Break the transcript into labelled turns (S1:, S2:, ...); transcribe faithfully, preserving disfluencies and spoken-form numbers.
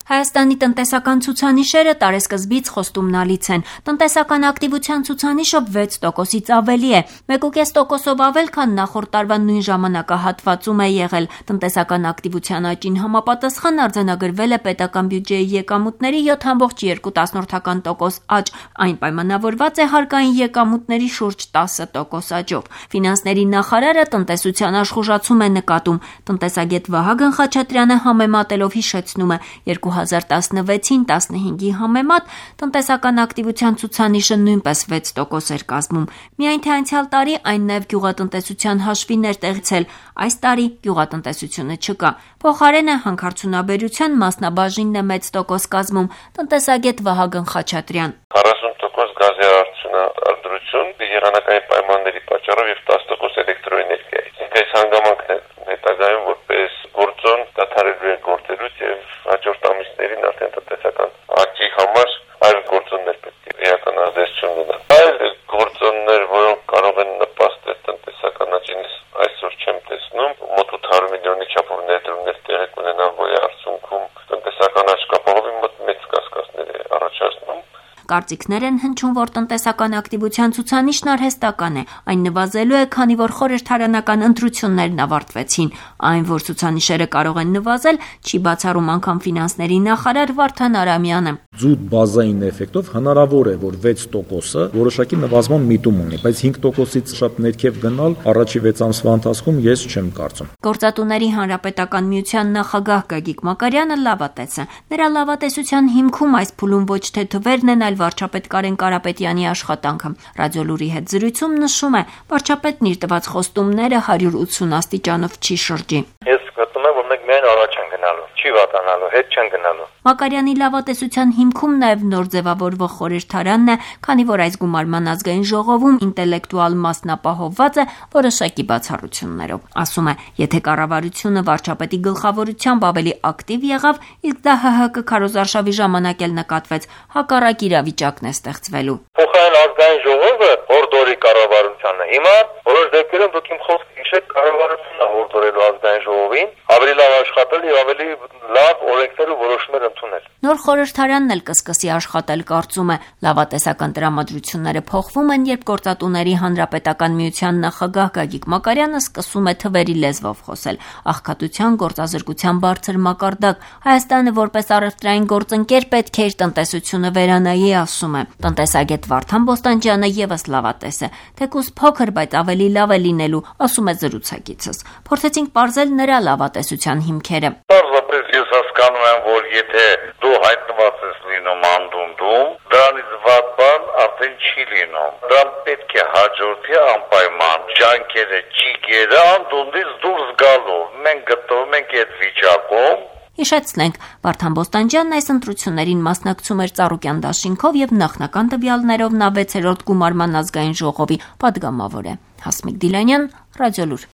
S1: Հայաստանի տնտեսական ցուցանիշերը տարեսկզբից խոստումնալից են։ Տնտեսական ակտիվության ցուցանիշը վեց տոկոսից ավելի է, մեկ ու կես տոկոսով ավել, քան նախորդ տարվա նույն ժամանակահատվածում է եղել։ Տնտեսական ակտիվության աճին համապատասխան արձանագրվել է պետական բյուջեի եկամուտների յոթ կόμμα երկու տոկոս աճ, այն պայմանավորված է հարկային եկամուտների շուրջ տասը տոկոս աճով։ Ֆինանսների նախարարը տնտեսության աշխուժացում է նկատում։ Տնտեսագետ Վահագն Խաչատրյանը համեմատելով հիշեցնում է երկու հազար տասնվեցին տասնհինգի համեմատ տնտեսական ակտիվության ցուցանիշը նույնպես վեց տոկոս էր կազմում։ Միայն թե անցյալ տարի այն նաև գյուղատնտեսության հաշվին էր տեղցել, այս տարի գյուղատնտեսությունը չկա։ Փոխարենը հանքարդյունաբերության մասնաբաժինն է մեծ տոկոս կազմում։ Տնտեսագետ Վահագն Խաչատրյան.
S2: քառասուն տոկոս գազի արդյունահանություն եղանակային պայմանների պատճառով եւ տասը տոկոս էլեկտրոէներգիայի։ Այս հանգամանքն է հետագայում որպես գործոն դադարելու է գործելուց եւ հաջորդ ամիսներին արդեն տնտեսական աճի համար այլ գործոններ պետք է էական ազդեցություն ունենան։ Այլ գործոններ, որոնք կարող են նպաստել տնտեսական աճին, այսօր չեմ տեսնում, մոտ ութ հարյուր միլիոնի չափով ներդրումներ տեղի կունենան, որի արդյունքում տնտեսական աճ կապահովի մոտ մեծ կասկածներ է առաջացնում։
S1: Կարծիքներ են հնչում, որ տնտեսական ակտիվության ցուցանիշն արհեստական է, այն նվազելու է, քանի որ խորհրդարանական ընտրություններն ավարտվեցին։ Այն, որ ցուցանիշերը կարող են նվազել, չի բացառում անգամ ֆինանսների նախարար Վարդան Արամյանը։
S3: Զուտ բազային էֆեկտով հնարավոր է, որ վեց տոկոսը որոշակի նվազման միտում ունի, բայց հինգ տոկոսից շատ ներքև գնալ առաջի վեց ամսվա ընթացքում ես չեմ կարծում։
S1: Գործատուների հանրապետական միության նախագահ Գագիկ Մակարյանը լավատես է։ Նրա լավատեսության հիմքում այս փուլում ոչ թե թվերն են, այլ վարչապետ Կարեն Կարապետյանի աշխատանքը։ Ռադիոլուրի հետ զրույցում նշում է, վարչապետն իր տված խոստումները հարյուր ութսուն աստիճանով չի շրջի։
S2: Ես գտնում եմ, որ մենք միայն առաջ են գնալու, չի վատանալու, հետ չեն գնալու։
S1: Մակարյանի լավատեսության հիմքում նաև նոր ձևավորվող խորհրդարանն է, քանի որ այս գումարման ազգային ժողովում ինտելեկտուալ մասն ապահովված է որոշակի բացառություններով։ Ասում է, եթե կառավարությունը վարչապետի գլխավորությամբ ավելի ակտիվ եղավ, իսկ դա ՀՀԿ քարոզարշավի ժամանակ էլ նկատվեց, հակառակ իրավիճակն է ստեղծվելու։
S2: Փոխարեն ազգային ժողովը հորդորի կառավարությանը։ Հիմա որոշ դեպքերում դուք իմ խոսքը հիշեք, կառավարությունը հորդորելու ազգային ժողովին ավելի լավ աշխատել եւ ավելի լավ օրենքներ ու որոշումներ ընդունել։
S1: Նոր խորհրդարանն էլ կսկսի աշխատել, կարծում է։ Լավատեսական տրամադրությունները փոխվում են, երբ Գործատուների հանրապետական միության նախագահ Գագիկ Մակարյանը սկսում է թվերի լեզվով խոսել։ Աղքատության գործազրկության բարձր մակարդակ, Հայաստանը որպես առևտրային գործընկեր պետք է իր տնտեսությունը վերանայի, ասում է։ Տնտեսագետ Վարդան Բոստանջյանը եւս լավատես է, թեկուզ փոքր, բայց ավելի լավ է լինելու, ասում է զրուցակիցս։ Փորձեցինք պարզել նրա լավատեսության հիմքերը։
S2: Պարզապես ես հասկանում եմ, որ եթե դու հայտնված ես լինում անդունդում, դրանից վատ բան արդեն չի լինում։ Դրան պետք է հաջորդի անպայման ջանքերը, ճիգերը անդունդից դուրս գալու։ Մենք գտնվում ենք այդ վիճակում։
S1: Հիշեցնենք, Վարդան Բոստանջյանն այս ընտրություններին մասնակցում էր Ծառուկյան դաշինքով եւ նախնական տվյալներով նա վեցերորդ գումարման ազգային ժողովի պատգամավոր է։ Հասմիկ Դիլանյան, Ռադիոլուր։